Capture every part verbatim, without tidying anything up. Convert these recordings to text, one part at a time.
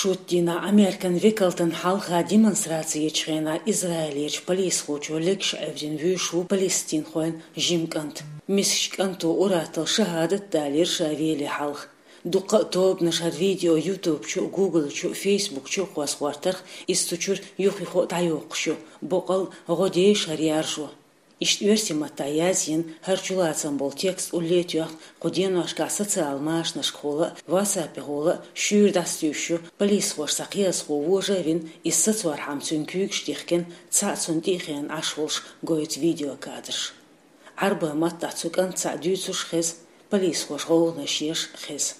Шоттийна Ӏамеркан векалтан хьалха демонстраци ечу хенахь Израилерчу полисхочо легаш Ӏевдина вуьйш ву палестинхойн жима кӀант. Мисачу кӀанто ур-атталла шахӀадат далийра ша веле хьалха. Дуккха а тобанаш хӀара видео YouTube чу, Google чу, Facebook чу кхоссахӀоттарх, иза цу чуьра юх-юха а дӀайоккхуш ю, боккъал а гӀо деш хӀара яржо. Иштта оьрсийн маттахь язйина хӀара чулацам болу текст улле а тоьхна, кху деношкахь социал машанашкахула а, ватсапехула а шуьйра дӀасатуьйсуш ю, полисхоша цхьа кхиазхо вожа а вина, иза сацорхьама цуьнан куьйгаш дихкина, цхьаъ цунна тӀе а хиъна Ӏаш волуш гойту видеокадраш. Ӏарбойн маттахь цу кӀанта цхьаъ дуьйцуш хеза, полисхоша гӀовгӀанаш еш хеза.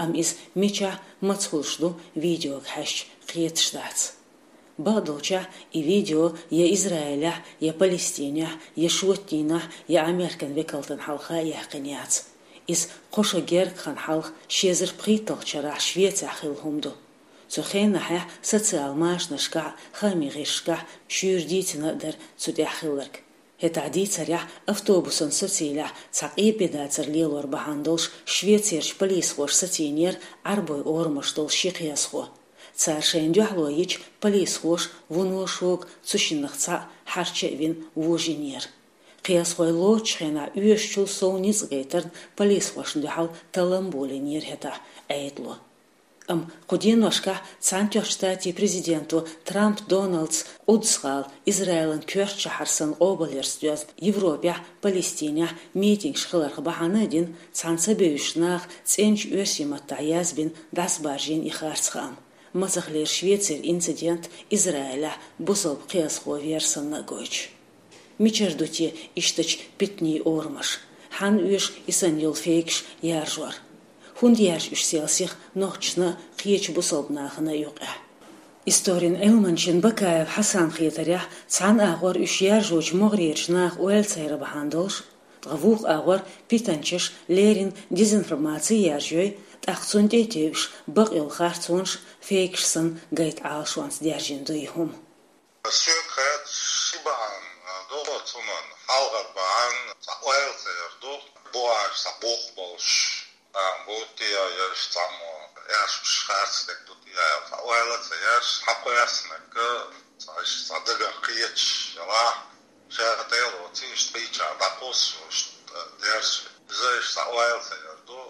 Амма иза мичахь, маца хуьлуш ду, видеога хьаьжча, кхеташ дац. Бакъдолчехь, и видео я Израилехь, я Палестинехь, я Шоттийнахь, я Ӏамеркан векалтан хьалха а яьккхина яц. Иза кхо шо гергга хан хьалха, ши эзар пхийтталгӀачу шарахь Швецехь хилла хӀума ду. Цу хенахьехь социал машанашкахь а, хаамийн гӀирсашкахь а шуьйра дийцина а дара цу тӀехь хилларг. ХӀетахь дийцарехь, автобусан сацийла цхьа къепе дацар лелор бахьана долуш Швецерчу полисхоша сацийнера Ӏарбойн орамаш долу ши кхиазхо. Цара шайна дуьхьало йича, полисхоша вуно шога, цу шиннах цхьаъ хьарча а вина вожийнера. Кхиазхой лоцучу хенахь оьшучул сов ницкъ гайтарна полисхошна дуьхьал таллам болийнера хӀетахь Ӏедало. Амма кху деношкахь Цхьаьнатоьхначу Штатийн президенто Трамп Доналдс Къудс-гӀала Израилан коьртачу шахьар санна къобалъярца доьзна Европехь, Палестинехь митингаш хиларх бахьана а дина, цхьана ца бевзачу наха цӀеначу оьрсийн маттахь язбина, дӀасабаржийна и харц хаам. Мацахлера Швецера инцидент Израилехь бусалба кхиазхо вер санна а гойтуш. Мичара ду те ишттачу питанийн орамаш? Хьанна оьшу и санна йолу фейкаш яржор? ХӀунда яьржа уьш сел сиха нохчашна а, кхечу бусалба нахана а юкъехь? Историн Ӏилманчин Бакаев Хьасанан хетарехь, цхьана агӀор уьш яржочу могӀарерчу наха ойла ца яр бахьана долуш, ткъа вукху агӀор питанчаш леррина дезинформаци яржой, тӀаккха цунна тӀе а тевжаш, бакъйолу харцонаш, фейкаш санна гайта Ӏалашонца даьржина ду и хӀума. Соьга хаьттича, ши бахьана ду цунна: хьалхара бахьана цхьа ойла ца яр ду, бухахь цхьа бух болуш, а, бу те я, я иштта цхьаммо аьшпаш харцдерг ду те я аьлла, цхьа ойла ца ярш, хьакхоьссинарг цхьа иштта цхьа дагах кхеташ ялахь, ша тӀе а лоций, иштта кхечахьа дӀакхуссуш, иштта даьржа. Иза иштта цхьа ойла ца яр ду.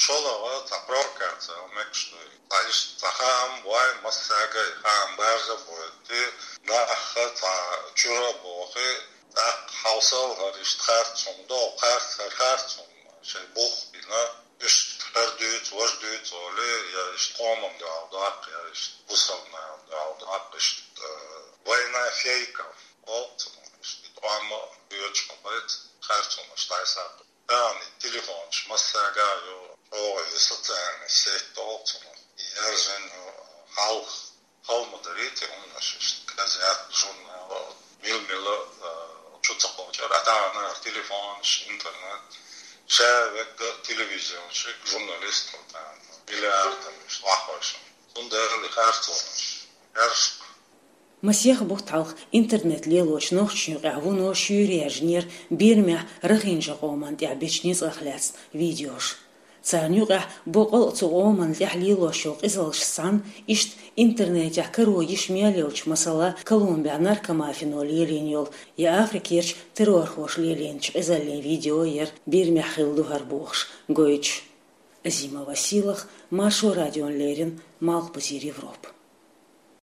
ШолгӀа цхьа провокаци аьлла мегаш ду. Цхьа иштта цхьа хаам бой, массаьрга и хаам баржа а бойти, нах цхьа чуьра а бохий, тӀаккха хьовсал, хӀара иштта харц хӀума ду, харц, хӀара харц хӀума, шайн бух бина, иштта хӀара дуьйцу, важа дуьйцу олий, я иштта къоман дуьхьал доккху, я иштта бусалбанан дуьхьал доккху, иштта, э, война фейков олу цунах, иштта къоман доьчу хӀуманца харц хӀуманаш дӀасаккха. Тахана и телефонаш массаьрга а ю, чӀогӀа и социальный сеть олу цунах. И яржийна хьалха хала ма дарий те хӀуманаш, иштта газет, журнал, мила-мила, а, чу ца кхочура. А тахана телефонаш, интернет, ша вегга телевизионщик, журналист хила тахана. Миллиардам иштта вахвайшин. Цундела и харцонаш яржа. Масех бутт хьалха интернет лелочу нохчашна юкъехь вуно шуьйра яржинера Бирмехь рахинчу къоман тӀехь бечу ницкъах лаьцна видеош. Царна юкъехь боккъал а цу къоманна тӀехь лелош йолу къизаллаш санна, иштта интернетехь каро йиш мел йолчу, масала, Колумбехь наркомафино лелийна йолу я Африкерчу террорхоша лелийначу къизаллин видео яра, Бирмехь хилла ду хӀара бохуш гойтуш. Азима Василах, Маршо радион леррина, Малхбузера Европа.